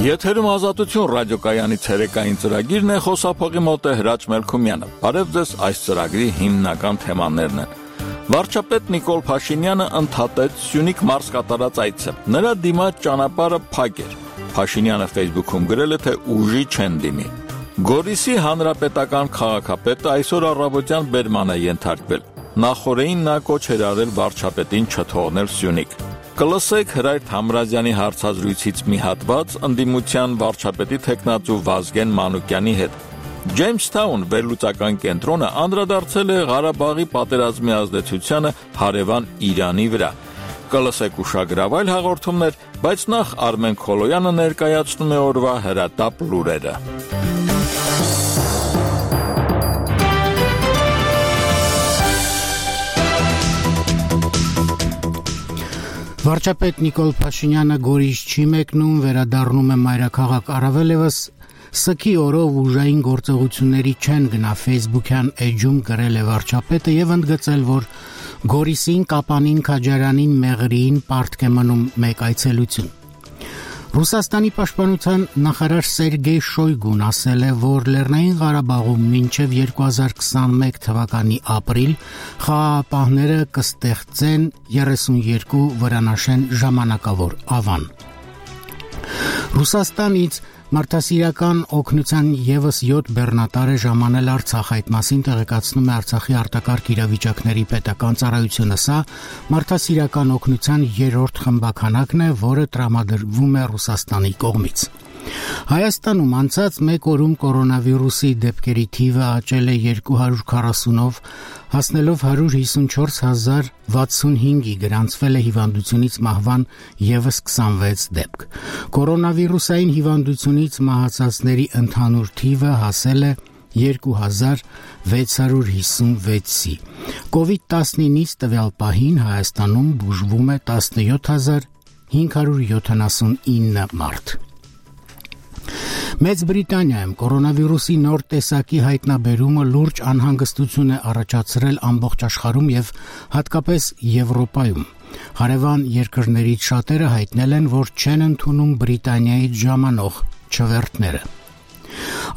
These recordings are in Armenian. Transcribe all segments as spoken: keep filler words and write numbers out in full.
Եթերում Ազատություն ռադիոկայանի ցերեկային ծրագիրն է, խոսափողի մոտ է Հրաչ Մելքումյանը։ Բարև ձեզ, այս ծրագրի հիմնական թեմաներն են։ Վարչապետ Նիկոլ Փաշինյանը ընդհատեց Սյունիք մարզ կատարած այցը։ Նրա դիմաց ճանապարհը փակ էր։ Փաշինյանը Facebook-ում գրել է, թե ուժի չեն դիմի։ Գորիսի հանրապետական քաղաքապետը այսօր առավոտյան բերման է ենթարկվել։ Նախորդին նա կոչ էր արել վարչապետին չթողնել Սյունիք։ Կլսեք Հրայր Թամրազյանի հարցազրույցից մի հատված ընդդիմության վարչապետի թեկնածու Վազգեն Մանուկյանի հետ։ Ջեյմսթաուն վերլուծական կենտրոնը անդրադարձել է Ղարաբաղի պատերազմի ազդեցությանը հարևան Իրանի վրա։ Կլսեք ուշագրավ այլ հաղորդումներ, բայց նախ Արմեն Քոլոյանը ներկայացնում է օրվա հրատապ լուրերը։ Վարչապետ Նիկոլ Փաշինյանը Գորիս չի մեկնում, վերադառնում է մայրաքաղաք, առավել ևս Սքի օրով ուժային գործողությունների չեն գնա Facebook-յան էջում գրել է վարչապետը եւ ընդգծել, որ Գորիսին, Կապանին, Քաջարյանին, Մեղրիին պարտք է մնում մեկ այցելություն։ Ռուսաստանի պաշտպանության նախարար Սերգեյ Շոյգուն ասել է, որ Լեռնային Ղարաբաղում մինչև երկու հազար քսանմեկ թվականի ապրիլ խաղաղապահները կստեղծեն երեսունյոթ վրանաշեն ժամանակավոր ավան։ Ռուսաստանից մարդասիրական օգնության եւս յոթ բեռնատար է ժամանել Արցախ, այդ մասին տեղեկացնում է Արցախի արտակարգ իրավիճակների պետական ծառայությունը։ Սա մարդասիրական օգնության երրորդ խմբականակն է, որը տրամադրվում է Ռուսաստանի կողմից։ Հայաստանում անցած մեկ օրում կորոնավիրուսի դեպքերի թիվը աճել է երկու հարյուր քառասունով, հասնելով հարյուր հիսունչորս հազար վաթսունհինգի, գրանցվել է հիվանդությունից մահվան եւս քսանվեց դեպք։ Կորոնավիրուսային հիվանդությունից մահացածների ընդհանուր թիվը հասել է երկու հազար վեց հարյուր հիսունվեցի։ կովիդ տասնինից տվյալ պահին Հայաստանում բուժվում է տասնյոթ հազար հինգ հարյուր յոթանասունինը մարդ։ Մեծ Բրիտանիայում կորոնավիրուսի նոր տեսակի հայտնաբերումը լուրջ անհանգստություն է առաջացրել ամբողջ աշխարհում եւ հատկապես Եվրոպայում։ Հարևան երկրներից շատերը հայտնել են, որ չեն ընդունում Բրիտանիայից ժամանող չվերթները։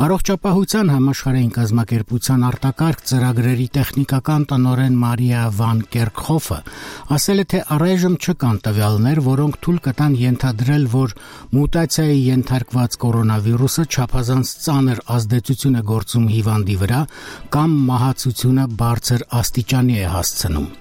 Առողջապահության համաշխարհային կազմակերպության արտակարգ ծրագրերի տեխնիկական տնօրեն Մարիա Վան Կերքհոֆը ասել է, թե առայժմ չկան տվյալներ, որոնք թույլ կտան ենթադրել, որ մուտացիայի ենթարկված կորոնավիրուսը չափազանց ծանր ազդեցություն է գործում հիվանդի վրա կամ մահացությունը բարձր աստիճանի է հասցնում։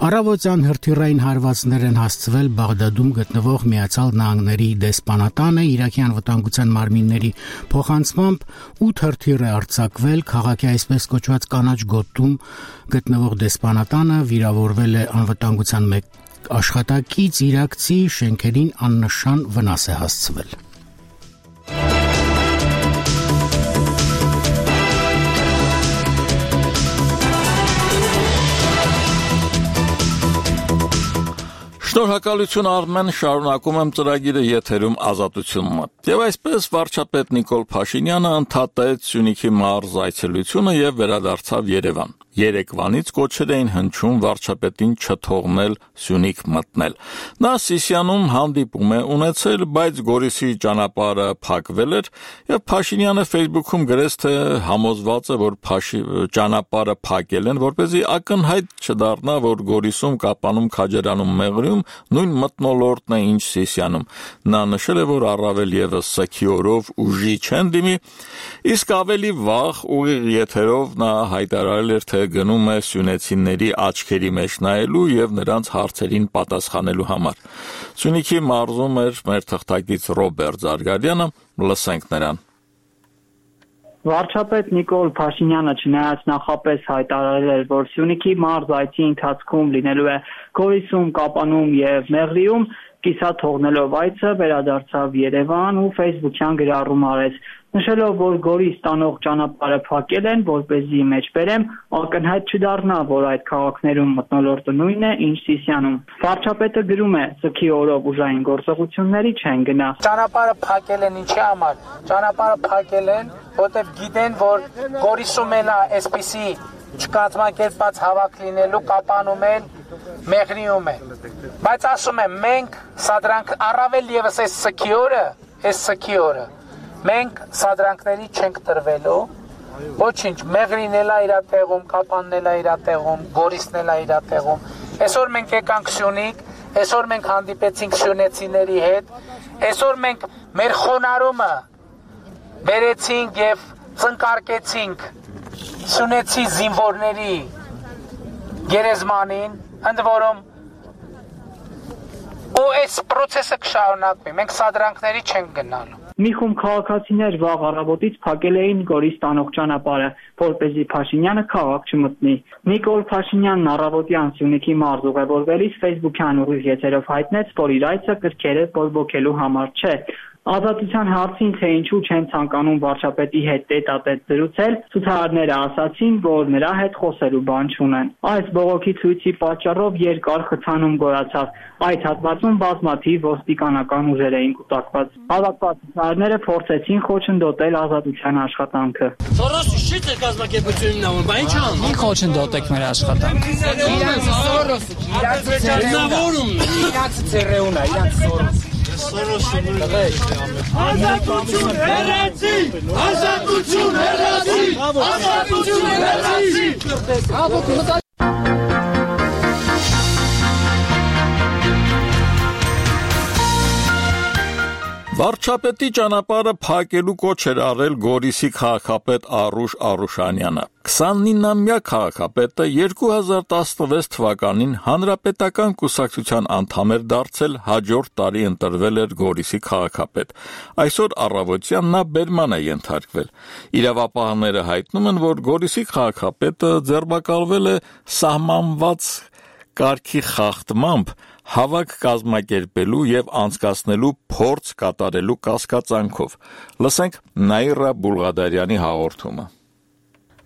Առավոտյան հրթիռային հարվածներ են հասցվել Բաղդադում գտնվող Միացյալ Նահանգների դեսպանատանը, Իրաքի անվտանգության մարմինների փոխանցմամբ ութ հրթիռ է արձակվել քաղաքի այսպես կոչված կանաչ գոտում գտնվող դեսպանատանը, վիրավորվել է անվտանգության մեկ աշխատակից, իրաքցի շենքերին աննշան վնաս է հասցվել։ Շնորհակալություն Արմեն, շարունակում եմ ծրագիրը եթերում Ազատություն մոտ։ Եվ այսպես վարչապետ Նիկոլ Փաշինյանը ընդհատեց Սյունիքի մարզ այցելությունը եւ վերադարձավ Երևան։ Երեկվանից կոչեր էին հնչում վարչապետին չթողնել Սյունիք մտնել։ Նա Սիսիանում հանդիպում է ունեցել, բայց Գորիսի ճանապարհը փակվել էր եւ Փաշինյանը Facebook-ում գրեց, թե համոզված է, որ ճանապարհը փակել են, որպեսզի ակնհայտ չդառնա, որ Գորիսում, Կապանում, Քաջարյանում, Մեղրիում նույն մթնոլորտն է, ինչ Սիսիանում։ Նա նշել է, որ առավել եւս Սքի օրով ուժի չեն դիմի, իսկ ավելի վաղ ուղիղ եթերով նա հայտարարել էր, թե գնում է սյունեցիների աչքերի մեջ նայելու եւ նրանց հարցերին պատասխանելու համար։ Սյունիքի մարզում էր մեր թղթակից Ռոբերտ Զարգարյանը, լսենք նրան։ Վարչապետ Նիկոլ Փաշինյանը չնայած նախապես հայտարարել էր, որ Սյունիքի մարզ այցի ընթացքում լինելու է Գորիսում, Կապանում եւ Մեղրիում, կիսա թողնելով այցը վերադարձավ Երևան ու Facebook-յան գրառում արեց, նշելով, որ Գորիս տանող ճանապարհը փակել են, որպեսզի մեջբերեմ, ակնհայտ չդառնա, որ այդ քաղաքներում մթնոլորտը նույնն է, ինչ Սիսիանում։ Վարչապետը գրում է, Սքի օրով ուժային գործողությունների չեն գնա։ Ճանապարհը փակել են ինչի համար։ Ճանապարհը փակել են, որտեղ գիտեն, որ Գորիսում էլ է այսպիսի չկազմակերպված հավաք լինելու, Կապանում են, Մեղրիում են։ Բայց ասում եմ, մենք սա դրանք առավել եւս այս Սքի օրը այս սքի օրը մենք սադրանքների չենք տրվելու, ոչինչ, Մեղրին էլ է իր տեղում, Կապանն էլ է իր տեղում, Գորիսն էլ է իր տեղում։ Այսօր մենք եկանք Սյունիք, այսօր մենք հանդիպեցինք սյունեցիների հետ, այսօր մենք մեր խոնարհումը բերեցինք եւ ծնկարկեցինք սյունեցի զինվորների գերեզմանին, ընդ որում ու այս process-ը կշարունակվի, մենք սադրանքների չենք գնալու։ Մի խումբ քաղաքացիներ վաղ առավոտից փակել էին Գորիս տանող ճանապարհը, որպեսզի Փաշինյանը քաղաք չմտնի։ Նիկոլ Փաշինյանն առավոտյան Սյունիքի մարզ ուղևորվելիս Facebook-յան ուղիղ եթերով հայտնեց, որ իր այցը կրքերը բորբոքելու համար չէ։ Ազատության հարցին, թե ինչու չեն ցանկանում վարչապետի հետ տետատետ զրուցել, ցուցարարները ասացին, որ նրա հետ խոսելու բան չունեն։ Այս բողոքի ցույցի պատճառով երկար խցանում գոյացավ։ Այդ հատվածում բազմաթիվ ոստիկանական ուժեր էին կուտակված։ Հավաքված ցուցարարները փորձեցին խոչընդոտել ազատության աշխատանքը։ Սորոսը շիտ է կազմակերպությունն անում, բա ինչ անում։ Ինչ խոչընդոտեք մեր աշխատանքը։ Իրանց Սորոսը, իրանց ցերեունն է, իրանց ցերեունն է, իրանց Սորոսը։ Ազատություն հեռացի, ազատություն հեռացի, ազատություն հեռացի։ Վարչապետի ճանապարհը փակելու կոչ էր արել Գորիսի քաղաքապետ Արուշ Արուշանյանը։ քսանինամյա քաղաքապետը երկու հազար տասնվեց թվականին հանրապետական կուսակցության անդամ էր դարձել, հաջորդ տարի ընտրվել էր Գորիսի քաղաքապետ։ Այսօր առավոտյան նա բերման է ենթարկվել։ Իրավապահները հայտնում են, որ Գորիսի քաղաքապետը ձերբակալվել է սահմանված կարգի խախտմամբ հավաք կազմակերպելու եւ անցկացնելու փորձ կատարելու կասկածանքով։ Լսենք Նաիրա Բուլղադարյանի հաղորդումը։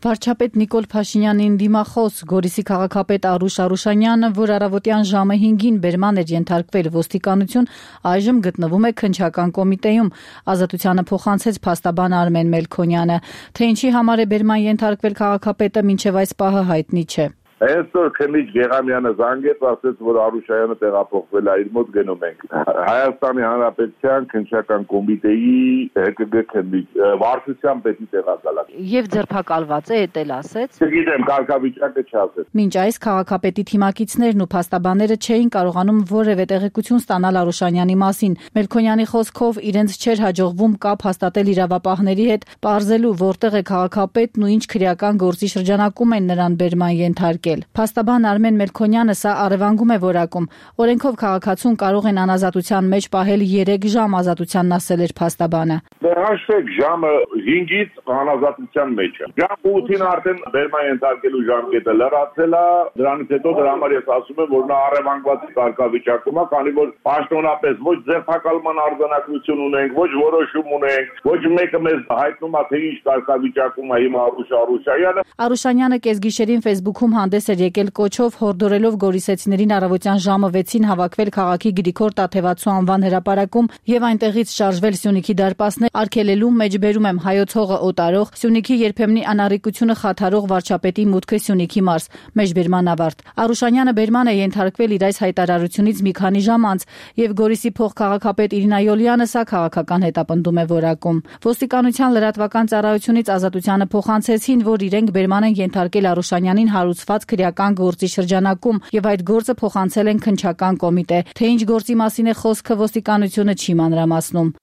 Վարչապետ Նիկոլ Փաշինյանին դիմախոս Գորիսի քաղաքապետ Արուշ Արուշանյանը, որ առավոտյան ժամը հինգին բերման էր ենթարկվել ոստիկանություն, այժմ գտնվում է քննչական կոմիտեում։ Ազատությանը փոխանցեց փաստաբան Արմեն Մելքոնյանը, թե ինչի համար է բերման ենթարկվել քաղաքապետը, մինչև այս պահը հայտնի չէ։ Այսօր Քեմիչ Գեղամյանը զանգեց, ասեց, որ Արուշայանը տեղափոխվել է, իր մոտ գնում ենք։ Հայաստանի Հանրապետության քննչական կոմիտեի ՀԿԳ քեմիչ վարչության պետի տեղակալակ։ Եվ ձերբակալված է, էդ էլ ասեց։ Չգիտեմ, կարգավիճակը չասեց։ Մինչ այս քաղաքապետի թիմակիցներն ու փաստաբանները չէին կարողանում որևէ տեղեկություն ստանալ Արուշանյանի մասին։ Մելքոնյանի խոսքով իրենց չէր հաջողվում կապ հաստատել իրավապահների հետ, պարզելու որտեղ է քաղաքապետն ու ինչ քրեական գործի շրջանակում են նրան բերման ենթարկել։ Փաստաբան Արմեն Մելքոնյանը սա առևանգում է որակում։ Օրենքով քաղաքացուն կարող են անազատության մեջ պահել երեք ժամ, ազատությանն ասել էր փաստաբանը։ Հաշվեք, ժամը հինգից անազատության մեջ է։ Ժամ ութին արդեն բերման ենթարկելու ժամկետը լրացել է, դրանից հետո դրա համար ես ասում եմ, որ նա առևանգված կարգավիճակում է, քանի որ պաշտոնապես ոչ ձերբակալման արձանագրություն ունենք, ոչ որոշում ունենք, ոչ մեկը մեզ հայտնում է, թե ինչ կարգավիճակում է հիմա Արուշ Արուշայանը։ Արուշանյանը կեսգիշերին Facebook-ում հանդես էր եկել կոչով, հորդորելով գորիսեցիներին առավոտյան ժամը վեցին հավաքվել քաղաքի Գրիգոր Տաթևացու անվան հրապարակում եւ այնտեղից շարժվել Սյունիքի դարպասներ, արգելելու մեջբերում եմ հայոց հողը օտարող, Սյունիքի երբեմնի անառիկությունը խաթարող վարչապետի մուտքը Սյունիքի մարզ, մեջբերման ավարտ։ Արուշանյանը բերման է ենթարկվել իր այս հայտարարությունից մի քանի ժամ անց, եւ Գորիսի փոխքաղաքապետ Իրինա Յոլյանը սա քաղաքական հետապնդում է որակում։ Ոստիկանության լրատվական ծառայությունից Ազատությանը փոխանցեցին, որ իրենք բերման են ենթարկել Արուշանյանին հարուցված քրեական գործի շրջանակում եւ այդ գործը փոխանցել են քննչական կոմիտե։ Թե ինչ գործի մասին է խոսքը, ոստիկանությունը չի մանրամասնում։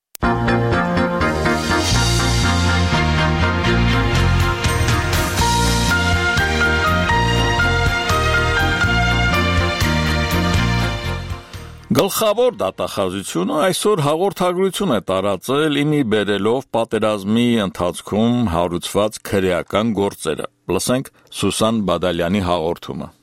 Գլխավոր դատախազությունը այսօր հաղորդագրություն է տարածել իմի բերելով պատերազմի ընթացքում հարուցված քրեական գործերը։ Լսենք Սուսան Բադալյանի հաղորդումը։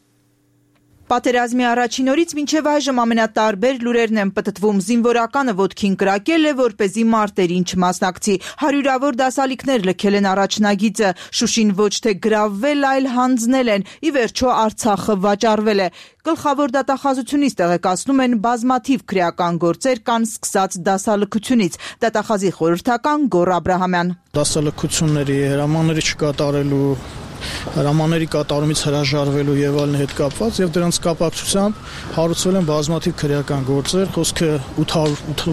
Պատերազմի առաջին օրից մինչև այժմ ամենատարբեր լուրերն են պտտվում։ Զինվորականը ոտքին կրակել է, որպեսզի մարտերին չմասնակցի։ Հարյուրավոր դասալիքներ լքել են առաջնագիծը։ Շուշին ոչ թե գրավվել, այլ հանձնել են։ Ի վերջո Արցախը վաճառվել է։ Գլխավոր դատախազությունից տեղեկացնում են բազմաթիվ քրեական գործեր կան սկսած դասալքությունից։ Դատախազի խորհրդական Գոռ Աբրահամյան։ Դասալքությունների հրամանները չկատարելու հրամանների կատարումից հրաժարվելու եւ այլն հետ կապված եւ դրանց կապակցությամբ հարուցվել են բազմաթիվ քրեական գործեր, խոսքը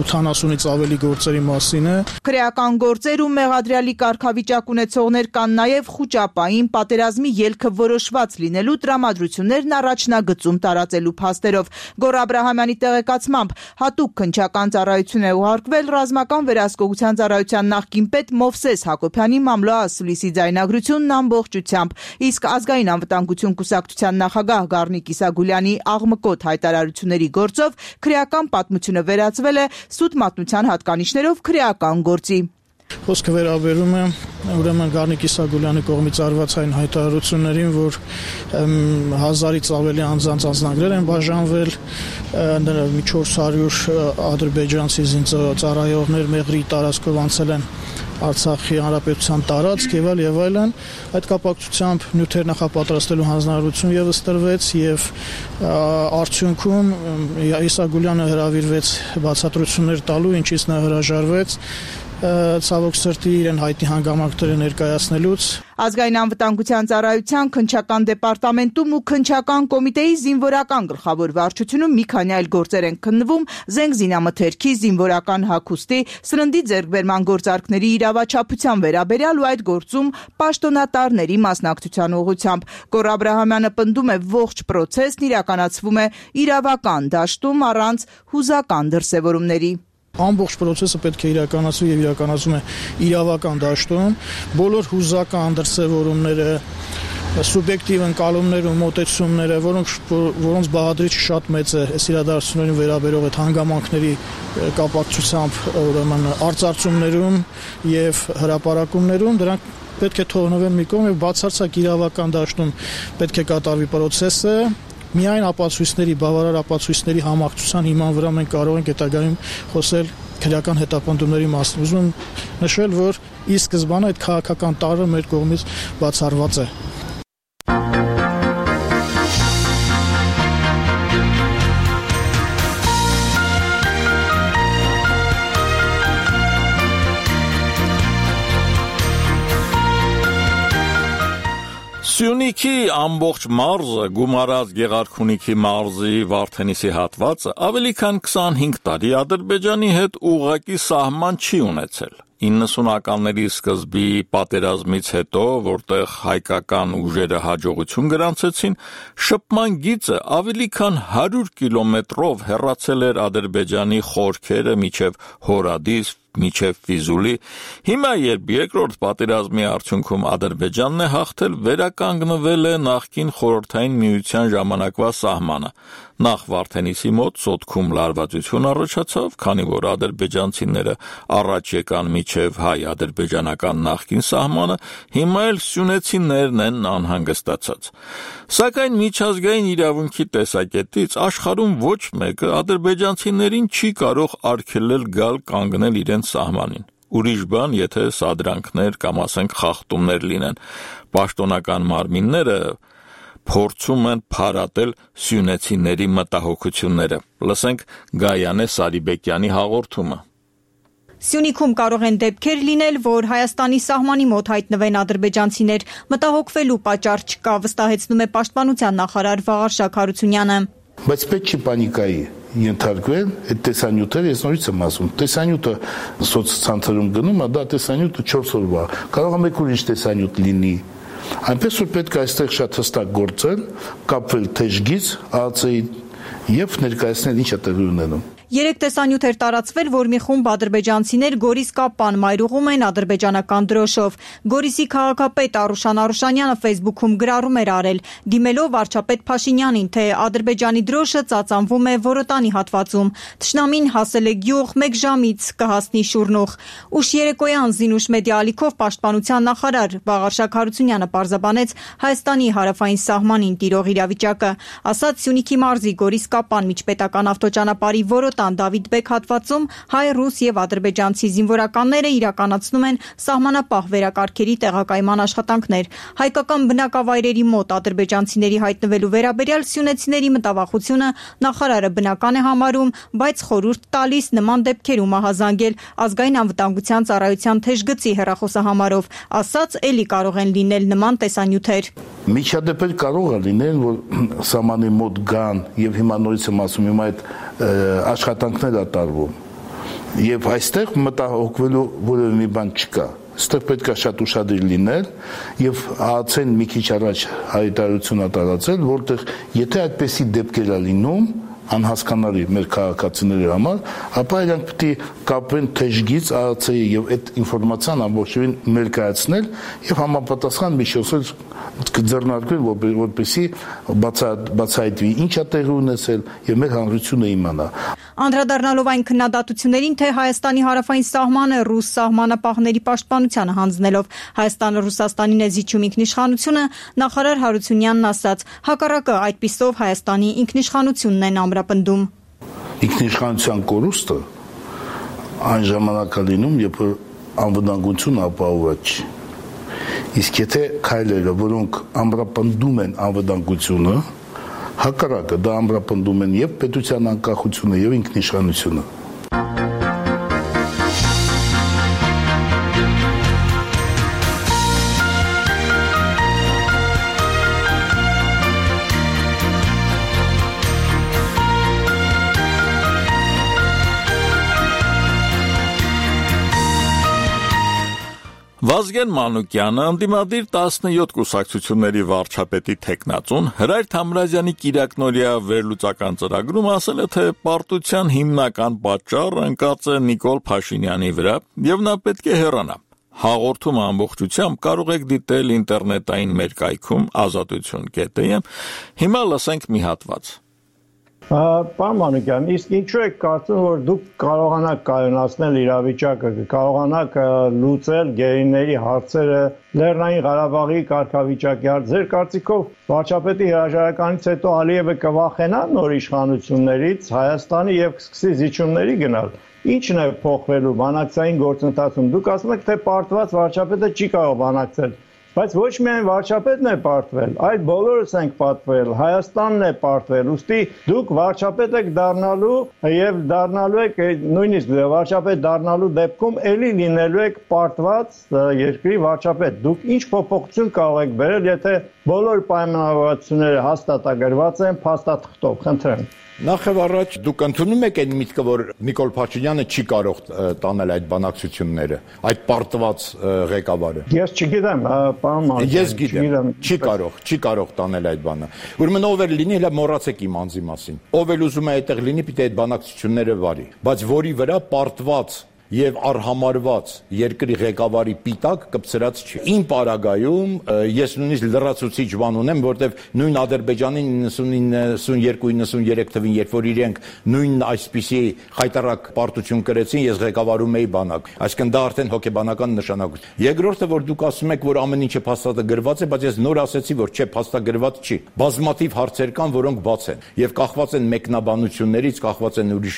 ութանասունից ավելի գործերի մասին է։ Քրեական գործեր ու մեղադրյալի կարգավիճակ ունեցողներ կան նաեւ խուճապային պատերազմի ելքը որոշված լինելու տրամադրություններն առաջնագծում տարածելու փաստերով։ Գոռ Աբրահամյանի տեղեկացմամբ հատուկ քննչական ծառայություն է ուղարկվել ռազմական վերահսկողության ծառայության նախկին պետ Մովսես Հակոբյանի մամլո ասուլիսի ձայնագրությունն ամբողջությամբ, իսկ ազգային անվտանգություն կուսակցության նախագահ Գառնիկ Իսագուլյանի աղմկոտ հայտարարությունների գործով քրեական պատմությունը վերածվել է սուտ մատնության հատկանիշներով քրեական գործի։ Խոսքը վերաբերում է ուրեմն Գառնիկ Իսագուլյանի կողմից արված այն հայտարարություններին, որ հազարից ավելի անձանց անձնագրեր են բաժանվել, մի չորս հարյուր ադրբեջանցի զինծառայողներ մեղրի տարածքով անցել են Արցախի հանրապետության տարածք եւ այլ եւ այլն։ Այդ կապակցությամբ նյութեր նախապատրաստելու հանձնարարություն եւս տրվեց եւ արդյունքում Իսագուլյանը հրավիրվեց բացատրություններ տալու, ինչից նա հրաժարվեց ցավոք սրտի իրեն հայտնի հանգամանքները ներկայացնելուց։ Ազգային անվտանգության ծառայության քննչական դեպարտամենտում ու քննչական կոմիտեի զինվորական գլխավոր վարչությունում մի քանի այլ գործեր են քննվում զենք զինամթերքի, զինվորական հագուստի, սննդի ձեռքբերման գործարքների իրավաչափության վերաբերյալ ու այդ գործում պաշտոնատարների մասնակցության ուղղությամբ։ Գոռ Աբրահամյանը պնդում է, ողջ պրոցեսն իրականացվում է իրավական դաշտում առանց հուզական դրսևորումների։ Ամբողջ process-ը պետք է իրականացվի եւ իրականացվում է իրավական դաշտում, բոլոր հուզական դրսևորումները, սուբյեկտիվ ընկալումները ու մոտեցումները, որոնք որոնց բաղադրիչը շատ մեծ է, այս իրադարձություններին վերաբերող այդ հանգամանքների կապակցությամբ ուրեմն արծարծումներում եւ հրապարակումներում, դրանք պետք է թողնվեն մի կողմ եւ բացարձակ իրավական դաշտում պետք է կատարվի process-ը։ Միայն ապացույցների, բավարար ապացույցների համակցության հիման վրա մենք կարող ենք հետագայում խոսել քրեական հետապնդումների մասին։ Ուզում եմ նշել, որ ի սկզբանե այդ քաղաքական տարրը մեր կողմից բացառված է։ Սյունիքի ամբողջ մարզը գումարած Գեղարքունիքի մարզի Վարդենիսի հատվածը ավելի քան քսանհինգ տարի Ադրբեջանի հետ ուղղակի սահման չի ունեցել։ իննսունականների սկզբի պատերազմից հետո, որտեղ հայկական ուժերը հաջողություն գրանցեցին, շփման գիծը ավելի քան հարյուր կիլոմետրով հեռացել էր Ադրբեջանի խորքերը մինչև Հորադիս, մինչև Ֆիզուլի։ Հիմա, երբ երկրորդ պատերազմի արդյունքում Ադրբեջանն է հաղթել, վերականգնվել է նախկին խորհրդային միության ժամանակվա սահմանը։ Նախ Վարդենիսի մոտ սոտքում լարվածություն առաջացավ, քանի որ ադրբեջանցիները առաջ եկան միջև հայ-ադրբեջանական նախկին սահմանը, հիմա էլ սյունեցիներն են անհանգստացած։ Սակայն միջազգային իրավունքի տեսակետից աշխարհում ոչ մեկը ադրբեջանցիներին չի կարող արգելել գալ կանգնել իրենց սահմանին։ Ուրիշ բան, եթե սադրանքներ կամ ասենք խախտումներ լինեն։ Պաշտոնական մարմինները փորձում են փարատել սյունեցիների մտահոգությունները։ Լսենք Գայանե Սարիբեկյանի հաղորդումը։ Սյունիքում կարող են դեպքեր լինել, որ Հայաստանի սահմանի մոտ հայտնվեն ադրբեջանցիներ, մտահոգվելու պատճառ չկա, վստահեցնում է Պաշտպանության նախարար Վաղարշակ Հարությունյանը։ Բայց պետք չի պանիկայի ենթարկվել, այդ տեսանյութերը, ես նորից եմ ասում, տեսանյութը սոցցանցերում գնում է, դա տեսանյութը չորս օրվա, կարող է մեկ ուրիշ տեսանյութ լինի։ Այնպես որ պետք է այստեղ շատ հստակ գործել, կապվել թեժգից ԱԱՑ-ի եւ ներկայացնել ինչ է տեղի ունենում։ Երեք տեսանյութ էր տարածվել, որ մի խումբ ադրբեջանցիներ Գորիս Կապան մայրուղում են ադրբեջանական դրոշով։ Գորիսի քաղաքապետ Արուշան Արուշանյանը Facebook-ում գրառում էր արել, դիմելով վարչապետ Փաշինյանին, թե Ադրբեջանի դրոշը ծածանվում է Որոտանի հատվածում։ Թշնամին հասել է գյուղ, մեկ ժամից կհասնի Շուրնուղ։ Ուշ երեկոյան Զինուշ մեդիա ալիքով Պաշտպանության նախարար Վաղարշակ Հարությունյանը պարզաբանեց Հայաստանի հարավային սահմանին տիրող իրավիճակը, ասաց Սյունիքի մարզի Գորիս Գորիս Կապան միջպետական ավտոճանապարհի Որոտան Դավիթ-Բեկ հատվածում հայ-ռուս եւ ադրբեջանցի զինվորականները իրականացնում են սահմանապահ վերակարգերի տեղակայման աշխատանքներ։ Հայկական բնակավայրերի մոտ ադրբեջանցիների հայտնվելու վերաբերյալ սյունեցիների մտավախությունը նախարարը բնական է համարում, բայց խորհուրդ տալիս նման դեպքերում ահազանգել ազգային անվտանգության ծառայության թեժգծի հեռախոսահամարով, ասաց էլի կարող են լինել նման տեսանյութեր։ Միջադեպեր կարող է լինել, որ սահմանի մոտ գան եւ հիմա նորից եմ ասում, հիմա այդ աշխատանքներ է տարվում։ Եվ այստեղ մտահոգվելու որևէ մի բան չկա։ Այստեղ պետք է շատ ուշադիր լինել եւ ԱԱՑ-ն մի քիչ առաջ հայտարարություն է տարածել, որտեղ եթե այդպեսի դեպքեր է լինում, անհասկանալի մեր քաղաքացիների համար, ապա իրանք պետք է կապեն թեժգից ԱԱՑ-ի եւ այդ ինֆորմացիան ամբողջովին ներկայացնել եւ համապատասխան միջոցներ կձեռնարկվել, որպեսզի բացահայտվի ինչ է տեղի ունեցել եւ մեր հանրությունը իմանա։ Անդրադառնալով այն քննադատություններին, թե Հայաստանի հարավային սահմանը ռուս սահմանապահների պաշտպանությանը հանձնելով Հայաստանը Ռուսաստանին է զիջում ինքնիշխանությունը, նախարար Հարությունյանն ասաց, հակառակը այդպիսով Հայաստանի ինքնիշխանությունն են ամրապնդում։ Ինքնիշխանության կորուստը այն ժամանակ է լինում, երբ անվտանգությունը ապահոված չի։ Իսկ եթե քայլերը, որոնք ամրապնդում են անվտանգությունը, հակառակը դա ամրապնդում են եւ պետության անկախությունը եւ ինքնիշխանությունը։ Վազգեն Մանուկյանը ընդդիմադիր տասնյոթ կուսակցությունների վարչապետի թեկնածուն Հրայր Թամրազյանի կիրակնօրյա վերլուծական ծրագրում ասել է, թե պարտության հիմնական պատճառը ընկած է Նիկոլ Փաշինյանի վրա եւ նա պետք է հեռանա։ Հաղորդումը ամբողջությամբ կարող եք դիտել ինտերնետային մեր կայքում ազատություն կետ է։ Հիմա լսենք մի հատված։ Պարոն Մանուկյան, իսկ ինչու եք կարծում, որ դուք կարողանաք կայունացնել իրավիճակը, կարողանաք լուծել գերիների հարցերը, Լեռնային Ղարաբաղի կարգավիճակի հարց։ Ձեր կարծիքով վարչապետի հրաժարականից հետո Ալիևը կվախենա նոր իշխանություններից Հայաստանի եւ կսկսի զիջումների գնալ։ Ինչն է փոխվելու բանակցային գործընթացում։ Դուք ասում եք, թե պարտված վարչապետը չի կարող բանակցել, բայց ոչ միայն վարչապետն է պարտվել, այլ բոլորս ենք պատվել, Հայաստանն է պարտվել, ուստի դուք վարչապետ եք դառնալու եւ դառնալու եք նույնիսկ վարչապետ դառնալու դեպքում էլի լինելու եք պարտված երկրի վարչապետ։ Դուք ինչ փոփոխություն կարող եք բերել, եթե բոլոր պայմանավորվածությունները հաստատագրված են փաստաթղթով, խնդրեմ։ Նախ եւ առաջ դուք ընդունում եք այն միտքը, որ Նիկոլ Փաշինյանը չի կարող տանել այդ բանակցությունները, այդ պարտված ղեկավարը։ Ես չգիտեմ, պարոն Մանուկյան։ Ես գիտեմ, չի կարող, չի կարող տանել այդ բանը։ Ուրեմն ով էլ լինի, հələ մոռացեք իմ անձի մասին։ Ով էլ ուզում է այդտեղ լինի, պիտի այդ բանակցությունները վարի, բայց որի վրա պարտված եւ արհամարված երկրի ղեկավարի պիտակ կպցրած չի։ Իմ պարագայում ես նույնիսկ լրացուցիչ բան ունեմ, որտեվ նույն Ադրբեջանի նինety-nine, ninety-two, ninety-three թվին, երբ որ իրենք նույն այսպիսի խայտարակ պարտություն կրեցին, ես ղեկավարում էի բանակ։ Այսինքն դա արդեն հոգեբանական նշանակություն։ Երկրորդը, որ դուք ասում եք, որ ամեն ինչը փաստագրված է, բայց ես նոր ասեցի, որ չէ, փաստագրված չի։ Բազմաթիվ հարցեր կան, որոնք բաց են եւ կախված են մեկնաբանություններից, կախված են ուրիշ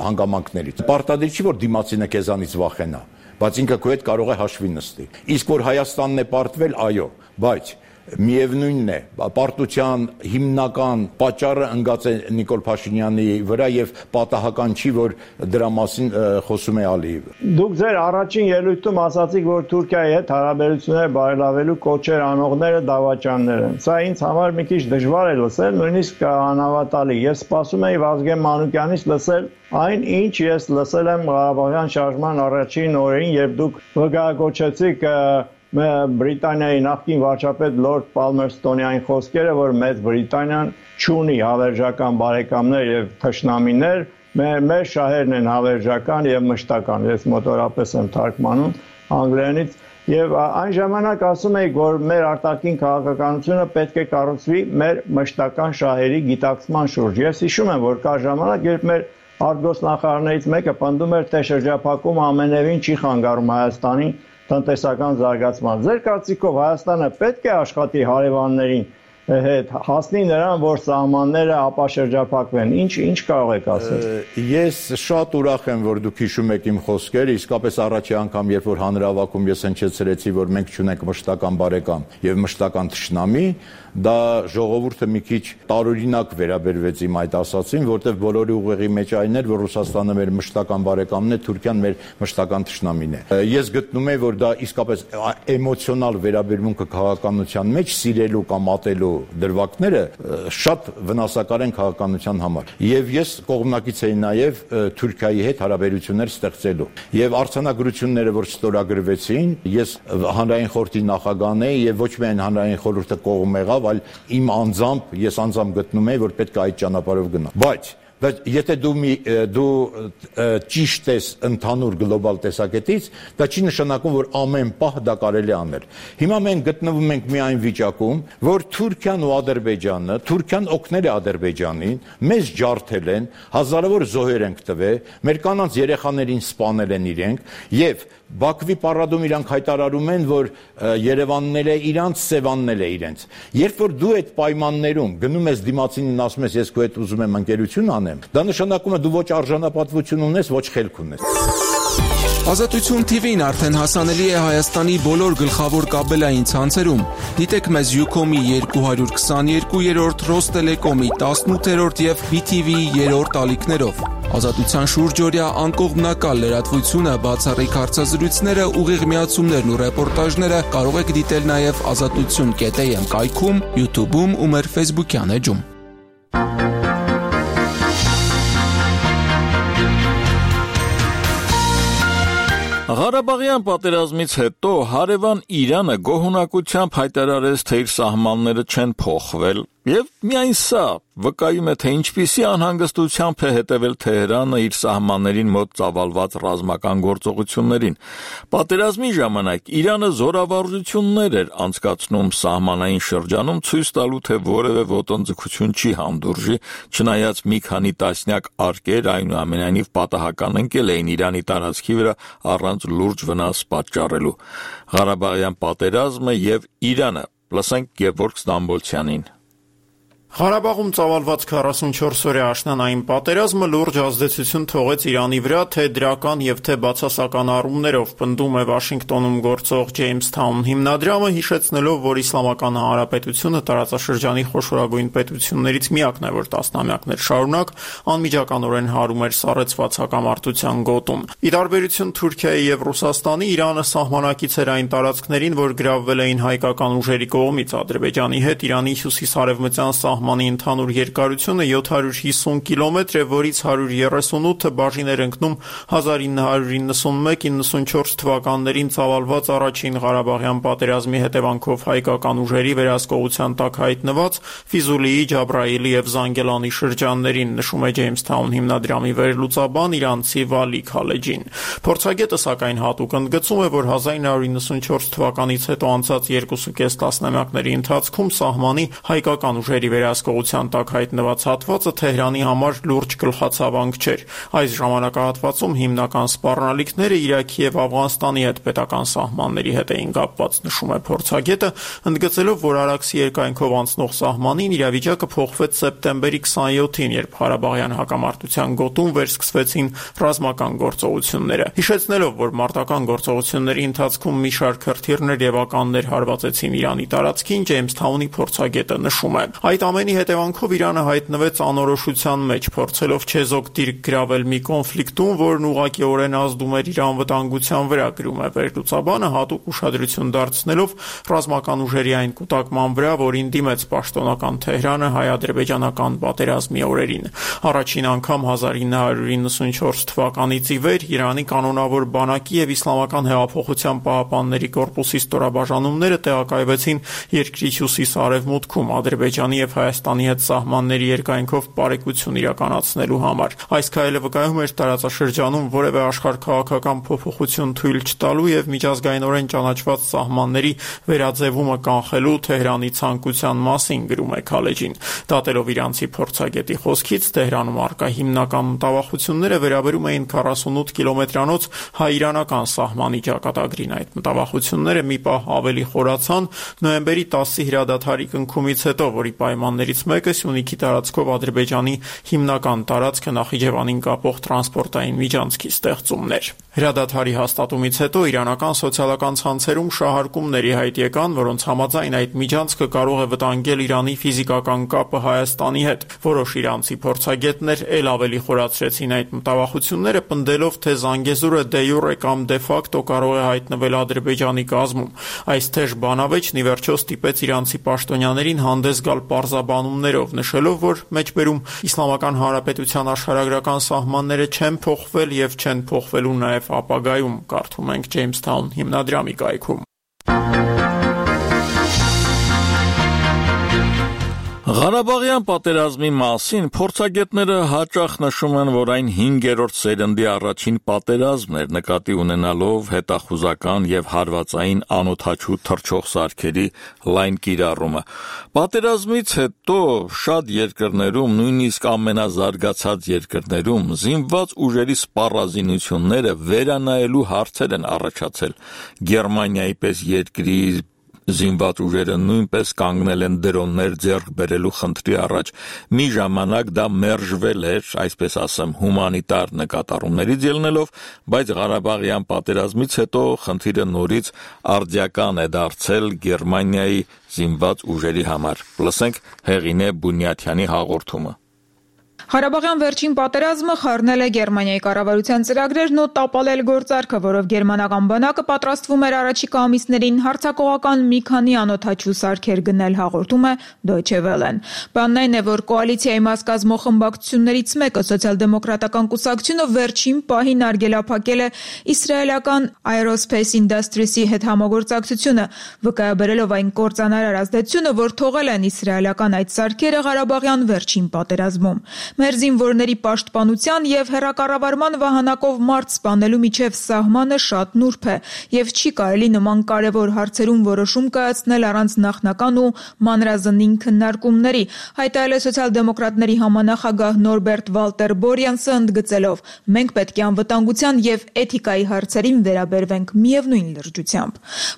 հանգամանքներից։ Պարտադիր չի, որ դիմացինը քեզանից վախենա, բայց ինքը քո հետ կարող է հաշվի նստի։ Իսկ որ Հայաստանն է պարտվել, այո, բայց միևնույնն է, պարտության հիմնական պատճառը ընկած է Նիկոլ Փաշինյանի վրա եւ պատահական չի, որ դրա մասին խոսում է Ալիևը։ Դուք ձեր առաջին ելույթում ասացիք, որ Թուրքիայի հետ հարաբերությունները բարելավելու կոչեր անողները դավաճաններ են։ Սա ինձ համար մի քիչ դժվար է լսել, նույնիսկ անհավատալի։ Ես սպասում էի Վազգեն Մանուկյանից լսել այն, ինչ ես լսել եմ Ղարաբաղյան շարժման առաջին օրերին, երբ դուք վկայակոչեցիք Բրիտանիայի նախկին վարչապետ Լորդ Պալմերստոնի այն խոսքերը, որ Մեծ Բրիտանիան չունի հավերժական բարեկամներ եւ թշնամիներ, մեր շահերն են հավերժական եւ մշտական։ Ես մոտորապես եմ թարգմանում անգլերենից եւ այն ժամանակ ասում էի, որ մեր արտաքին քաղաքականությունը պետք է կառուցվի մեր մշտական շահերի գիտակցման շուրջ։ Ես հիշում եմ, որ կա ժամանակ, երբ մեր արտգործնախարարներից մեկը պնդում էր, թե շրջափակումը ամենևին չի խանգարում Հայաստանին տնտեսական զարգացման։ Ձեր կարծիքով Հայաստանը պետք է աշխատի հարևաններին հետ հասնի նրան, որ սահմանները ապաշրջափակվեն։ Ինչ ինչ կարող եք ասել։ Ես շատ ուրախ եմ, որ դուք հիշում եք իմ խոսքերը, իսկապես առաջի անգամ, երբ որ հանրահավաքում ես հնչեցրեցի, որ մենք չունենք մշտական բարեկամ եւ մշտական թշնամի, դա ժողովուրդը մի քիչ տարօրինակ վերաբերվեց իմ այդ ասացին, որտեղ բոլորի ուղեղի մեջ այն էր, որ Ռուսաստանը մեր մշտական բարեկամն է, Թուրքիան մեր մշտական թշնամին է։ Ես գտնում եմ, որ դա իսկապես էմոցիոնալ վերաբերմունքը քաղաքականության մեջ սիրելու կամ ատելու դրվագները շատ վնասակար են քաղաքականության համար։ Եվ ես կողմնակից էի նաև Թուրքիայի հետ հարաբերություններ ստեղծելու։ Եվ արձանագրությունները, որ ստորագրվեցին, ես հանրային խորհրդի նախագահն էի եւ ոչ միայն հանրային խորհուրդը կողմ եղավ, այլ իմ անձամբ ես անձամբ գտնում եմ, որ պետք է այդ ճանապարհով գնալ։ Բայց Բայց եթե դու մի դու ճիշտ ես ընդհանուր գլոբալ տեսակետից, դա չի նշանակում, որ ամեն պահ դա կարելի անել։ Հիմա մենք գտնվում ենք մի այն վիճակում, որ Թուրքիան ու Ադրբեջանը, Թուրքիան օգնել է Ադրբեջանին, մեզ ջարդել են, հազարավոր զոհեր ենք տվել, մեր կանանց երեխաներին սպանել են իրենք, եւ Բաքվի պարադում իրանք հայտարարում են, որ Երևանն է իրանց, Սևանն է իրենց։ Երբ որ դու այդ պայմաններում գնում ես դիմացինին ասում ես, ես քո հետ ուզում եմ ընկերություն անեմ, դա նշանակում է դու ոչ արժանապատվություն ունես, ոչ խելք ունես։ Ազատություն թի վին արդեն հասանելի է Հայաստանի բոլոր գլխավոր կաբելային ցանցերում։ Դիտեք մեզ Ucom-ի երկու հարյուր քսաներկու, Ռոստելեկոմի տասնութ եւ բի թի վի-ի երրորդ ալիքներով։ Ազատության շուրջօրյա անկողմնակալ լրատվությունը, բացառիկ հարցազրույցները, ուղիղ միացումներն ու ռեպորտաժները կարող եք դիտել նաև ազատություն կետ էյ էմ կայքում, YouTube-ում ու մեր Facebook-յան էջում։ Ղարաբաղյան պատերազմից հետո հարևան Իրանը գոհունակությամբ հայտարարեց, թե իր սահմանները չեն փոխվել, եւ միայն սա վկայում է, թե ինչպիսի անհանգստությամբ է հետևել Թեհրանը իր սահմաններին մոտ ծավալված ռազմական գործողություններին։ Պատերազմի ժամանակ Իրանը զորավարժություններ էր անցկացնում սահմանային շրջանում, ցույց տալու, թե որևէ ոտնձգություն չի հանդուրժի, չնայած մի քանի տասնյակ արկեր այնուամենայնիվ պատահական ընկել էին Իրանի տարածքի վրա առանց լուրջ վնաս պատճառելու։ Ղարաբաղյան պատերազմը եւ Իրանը, լսենք Գևորգ Ստամբոլցյանին։ Ղարաբաղում ծավալված քառասունչորս-օրյա աշնանային պատերազմը լուրջ ազդեցություն թողեց Իրանի վրա, թե դրական եւ թե բացասական առումներով, պնդում է Վաշինգտոնում գործող Ջեյմսթաուն հիմնադրամը, հիշեցնելով, որ Իսլամական Հանրապետությունը տարածաշրջանի խոշորագույն պետություններից միակն է, որ տասնամյակներ շարունակ անմիջականորեն հարում էր սառեցված հակամարտության գոտում։ Ի տարբերություն Թուրքիայի եւ Ռուսաստանի, Իրանը սահմանակից էր այն տարածքներին, որ գրավվել էին հայկական ուժերի կողմից։ Ադրբեջանի հետ Իրանի հյուսիսարևմտյան սահմանի ընդհանուր երկարությունը յոթ հարյուր հիսուն կիլոմետր է, որից հարյուր երեսունութը բաժին էր ընկնում հազար ինը հարյուր իննսունմեկ իննսունչորս թվականներին ծավալված առաջին Ղարաբաղյան պատերազմի հետևանքով հայկական ուժերի վերահսկողության տակ հայտնված Ֆիզուլիի, Ջաբրայիլի եւ Զանգելանի շրջաններին, նշում է Ջեյմսթաուն հիմնադրամի վերլուծաբան իրանցի Վալի Քալեջին։ Փորձագետը սակայն հատուկ ընդգծում է, որ հազար ինը հարյուր իննսունչորս թվականից հետո անցած երկուսուկես տասնամյակների ընթացքում սահմանի հայկական ուժերի վերահսկողության տակ հայտնված հատվածը Թեհրանի համար լուրջ գլխացավանք չէր։ Այս ժամանակահատվածում հիմնական սպառնալիքները Իրաքի եւ Աֆղանստանի հետ պետական սահմանների հետ էին կապված, նշում է փորձագետը, ընդգծելով, որ Արաքսի երկայնքով անցնող սահմանին իրավիճակը փոխվեց սեպտեմբերի քսաներկուին, երբ Ղարաբաղյան հակամարտության գոտում վերսկսվեցին ռազմական գործողությունները։ Հիշեցնելով, որ մարտական գործողությունների ընթացքում մի շարք հրթիռներ եւ ականներ հարվածեցին Իրանի տարածքին, Ջեյմսթաունի փորձագետը նշում է. Այդ ամենի հետևանքով Իրանը հայտնվեց անորոշության մեջ, փորձելով չեզոք դիրք գրավել մի կոնֆլիկտում, որն ուղղակիորեն ազդում էր իր անվտանգության վրա, գրում է վերլուծաբանը, հատուկ ուշադրություն դարձնելով ռազմական ուժերի այն կուտակման վրա, որին դիմեց պաշտոնական Թեհրանը հայ-ադրբեջանական պատերազմի օրերին։ Առաջին անգամ հազար ինը հարյուր իննսունչորս թվականից ի վեր Իրանի կանոնավոր բանակի եւ Իսլամական հեղափոխության պահապանների կորպուսի ստորաբաժանումները տեղակայվեցին երկրի հյուսիս-արևմուտքում, Ադրբեջանի եւ Հայաստանի հետ սահմանների երկայնքով բարեկություն իրականացնելու համար։ Այս քայլը վկայում էր տարածաշրջանում որևէ աշխարհքաղաքական փոփոխություն թույլ չտալու եւ միջազգայինորեն ճանաչված սահմանների վերաձևումը կանխելու Թեհրանի ցանկության մասին, գրում է քալեջին։ Դատելով իրանցի փորձագետի խոսքից, Թեհրանում առկա հիմնական մտավախությունները վերաբերում էին քառասունութ կիլոմետրանոց հայ-իրանական սահմանի ճակատագրին։ Այդ մտավախությունները մի պահ ավելի խորացան նոյեմբերի տասի հրադադարի կնքումից հետո, որի պայմաններից մեկը Սյունիքի տարածքով Ադրբեջանի հիմնական տարածքը Նախիջևանին կապող տրանսպորտային միջանցքի ստեղծումն էր։ Հրադադարի հաստատումից հետո իրանական սոցիալական ցանցերում շահարկումների հայտ եկան, որոնց համաձայն այդ միջանցքը կարող է վտանգել Իրանի ֆիզիկական կապը Հայաստանի հետ։ Որոշ իրանցի փորձագետներ ել ավելի խորացրեցին այդ մտավախությունները, պնդելով, թե Զանգեզուրը դե յուրե կամ դե ֆակտո կարող է հայտնվել Ադրբեջանի կազմում։ Այս թեժ բանավեճն ի վերջո ստիպեց իրանցի պաշտոնյաներին հանդես գալ պարզաբանումներով, նշելով, որ մեջբերում Իսլամական Հանրապետության աշխարհագրական սահմանները չեն փոխվել եւ չեն փոխվելու նաեւ ապագայում, կարդում ենք Jamestown հիմնադրամի կայքում։ Ղարաբաղյան պատերազմի մասին փորձագետները հաճախ նշում են, որ այն հինգերորդ սերնդի առաջին պատերազմն էր, նկատի ունենալով հետախուզական եւ հարվածային անօդաչու թռչող սարքերի լայն կիրառումը։ Պատերազմից հետո շատ երկրներում, նույնիսկ ամենազարգացած երկրներում, զինված ուժերի սպառազինությունները վերանայելու հարցեր են առաջացել։ Գերմանիայի պես երկրի զինված ուժերը նույնպես կանգնել են դրոններ ձեռք բերելու խնդրի առաջ։ Մի ժամանակ դա մերժվել էր, այսպես ասեմ, հումանիտար նկատառումներից ելնելով, բայց Ղարաբաղյան պատերազմից հետո խնդիրը նորից արդիական է դարձել Գերմանիայի զինված ուժերի համար։ Լսենք Հեղինե Բունյաթյանի հաղորդումը։ Ղարաբաղյան վերջին պատերազմը խառնել է Գերմանիայի կառավարության ծրագրերն ու տապալել գործարքը, որով գերմանական բանակը պատրաստվում էր առաջիկա ամիսներին հարձակողական մի քանի անօդաչու սարքեր գնել, հաղորդում է Deutsche Welle-ն։ Բանն այն է, որ կոալիցիայի մաս կազմող խմբակցություններից մեկը Սոցիալ-դեմոկրատական կուսակցությունը վերջին պահին արգելափակել է իսրայելական Aerospace Industries-ի հետ համագործակցությունը, վկայաբերելով այն կործանարար ազդեցությունը, որ թողել են իսրայելական այդ սարքերը Ղարաբաղյան վերջին պատերազմում։ Մեր զինվորների պաշտպանության եւ հեռակառավարման վահանակով մարդ սպանելու միջև սահմանը շատ նուրբ է եւ չի կարելի նման կարեւոր հարցերում որոշում կայացնել առանց նախնական ու մանրազնին քննարկումների, հայտարարել է սոցիալ-դեմոկրատների համանախագահ Նորբերտ Վալտեր Բորյանսը, ընդգծելով. մենք պետք է անվտանգության եւ էթիկայի հարցերին վերաբերվենք միևնույն լրջությամբ։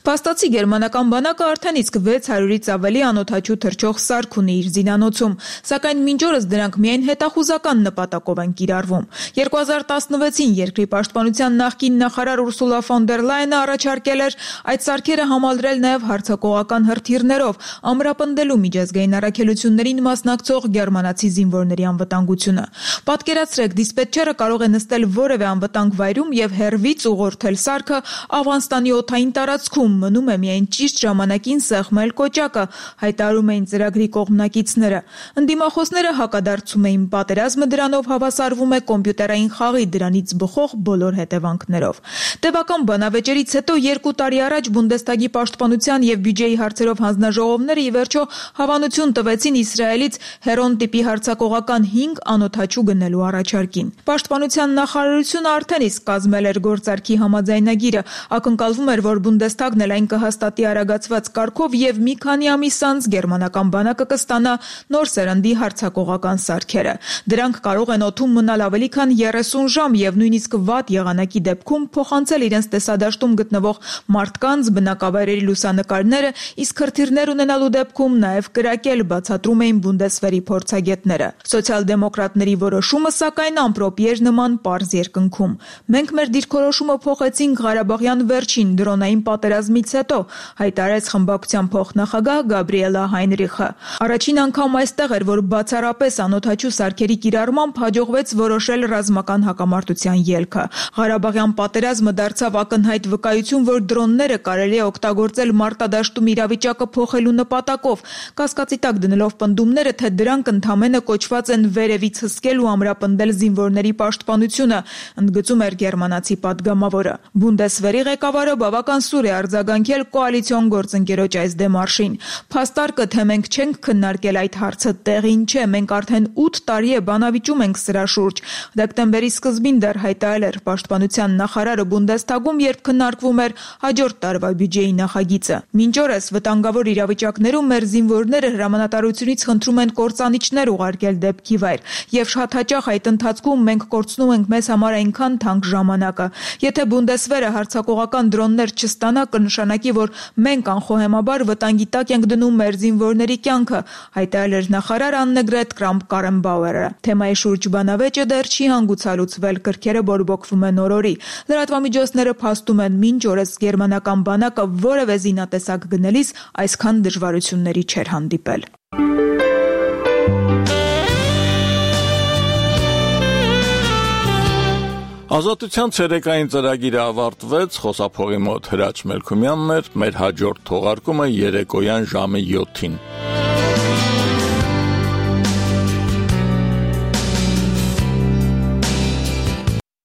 Փաստացի գերմանական բանակը արդեն իսկ վեց հարյուրից ավելի անօդաչու թռչող սարք ունի իր զինանոցում, սակայն մինչ օրս դրանք միայն հետախուզական նպատակով են կիրառվում։ երկու հազար տասնվեցին երկրի պաշտպանության նախկին նախարար Ուրսուլա ֆոն դեր Լայենը առաջարկել էր այդ սարքերը համալրել նաև հարձակողական հրթիռներով, ամրապնդելու միջազգային առաքելություններին մասնակցող գերմանացի զինվորների անվտանգությունը։ Պատկերացրեք, դիսպետչերը կարող է նստել որևէ անվտանգ վայրում եւ հեռվից ուղղորդել սարքը Աֆղանստանի օդային տարածքում, մնում է միայն ճիշտ ժամանակին սեղմել կոճակը, հայտարարում էին ծրագրի կողմնակիցները։ Ընդդիմախոսները հակադարձում էին պատերազմը դրանով հավասարվում է կոմպյուտերային խաղի, դրանից բխող բոլոր հետևանքներով։ Տևական բանավեճերից հետո երկու տարի առաջ Բունդեստագի պաշտպանության եւ բյուջեի հարցերով հանձնաժողովները ի վերջո հավանություն տվեցին Իսրայելից Հերոն տիպի հարձակողական հինգ անօդաչու գնելու առաջարկին։ Պաշտպանության նախարարությունը արդեն իսկ կազմել էր գործարքի համաձայնագիրը, ակնկալվում էր, որ Բունդեստագն էլ այն կհաստատի արագացված կարգով եւ մի քանի ամիս անց գերմանական բանակը կստանա նոր սերնդի հարձակողական սարքերը։ Դրանք կարող են օդում մնալ ավելի քան երեսուն ժամ եւ նույնիսկ վատ եղանակի դեպքում փոխանցել իրենց տեսադաշտում գտնվող մարդկանց բնակավայրերի լուսանկարները, իսկ հրթիռներ ունենալու դեպքում նաեւ կրակել, բացատրում էին Բունդեսվերի փորձագետները։ Սոցիալ-դեմոկրատների որոշումը սակայն ամպրոպի էր նման պարզ երկնքում։ Մենք մեր դիրքորոշումը փոխեցինք Ղարաբաղյան վերջին դրոնային պատերազմից հետո, հայտարարեց խմբակցության փոխնախագահ Գաբրիելա Հայնրիխը։ Առաջին անգամ այստեղ էր, որ բացառապես անօդաչու սարքերի կարգերի կիրառմամբ հաջողվեց որոշել ռազմական հակամարտության ելքը։ Ղարաբաղյան պատերազմը դարձավ ակնհայտ վկայություն, որ դրոնները կարելի է օգտագործել մարտադաշտում իրավիճակը փոխելու նպատակով, կասկածի տակ դնելով պնդումները, թե դրանք ընդամենը կոչված են վերևից հսկել ու ամրապնդել զինվորների պաշտպանությունը, ընդգծում էր գերմանացի պատգամավորը։ Բունդեսվերի ղեկավարը բավական սուր է արձագանքել կոալիցիոն գործընկերոջ այս դեմարշին։ Փաստարկը, թե մենք չենք քննարկել այդ հարցը, տեղին չէ, մենք արդեն ութ տարի է բանավիճում ենք սրա շուրջ։ Դեկտեմբերի սկզբին դեռ հայտարարել էր պաշտպանության նախարարը Բունդեսթագում, երբ քննարկվում էր հաջորդ տարվա բյուջեի նախագիծը։ Մինչ օրս վտանգավոր իրավիճակներում մեր զինվորները հրամանատարությունից խնդրում են կործանիչներ ուղարկել դեպքի վայր, եւ շատ հաճախ այդ ընթացքում մենք կորցնում ենք մեզ համար այնքան թանկ ժամանակը։ Եթե Բունդեսվերը հարձակողական դրոններ չստանա, կնշանակի, որ մենք անխոհեմաբար վտանգի տակ ենք դնում մեր զինվորների կյանքը, հայտարարել էր նախարար Աննեգրետ Կրամփ-Կարենբաուերը։ Թեմայի շուրջ բանավեճը դեռ չի հանգուցալուծվել, կրքերը բորբոքվում են օրորի։ Լրատվամիջոցները փաստում են, մինչ օրս գերմանական բանակը որևէ զինատեսակ գնելիս այսքան դժվարությունների չէր հանդիպել։ Ազատության ցերեկային ծրագիրը ավարտվեց, խոսափողի մոտ Հրաչ Մելքումյանն էր, մեր հաջորդ թողարկումը երեկոյան ժամը յոթին։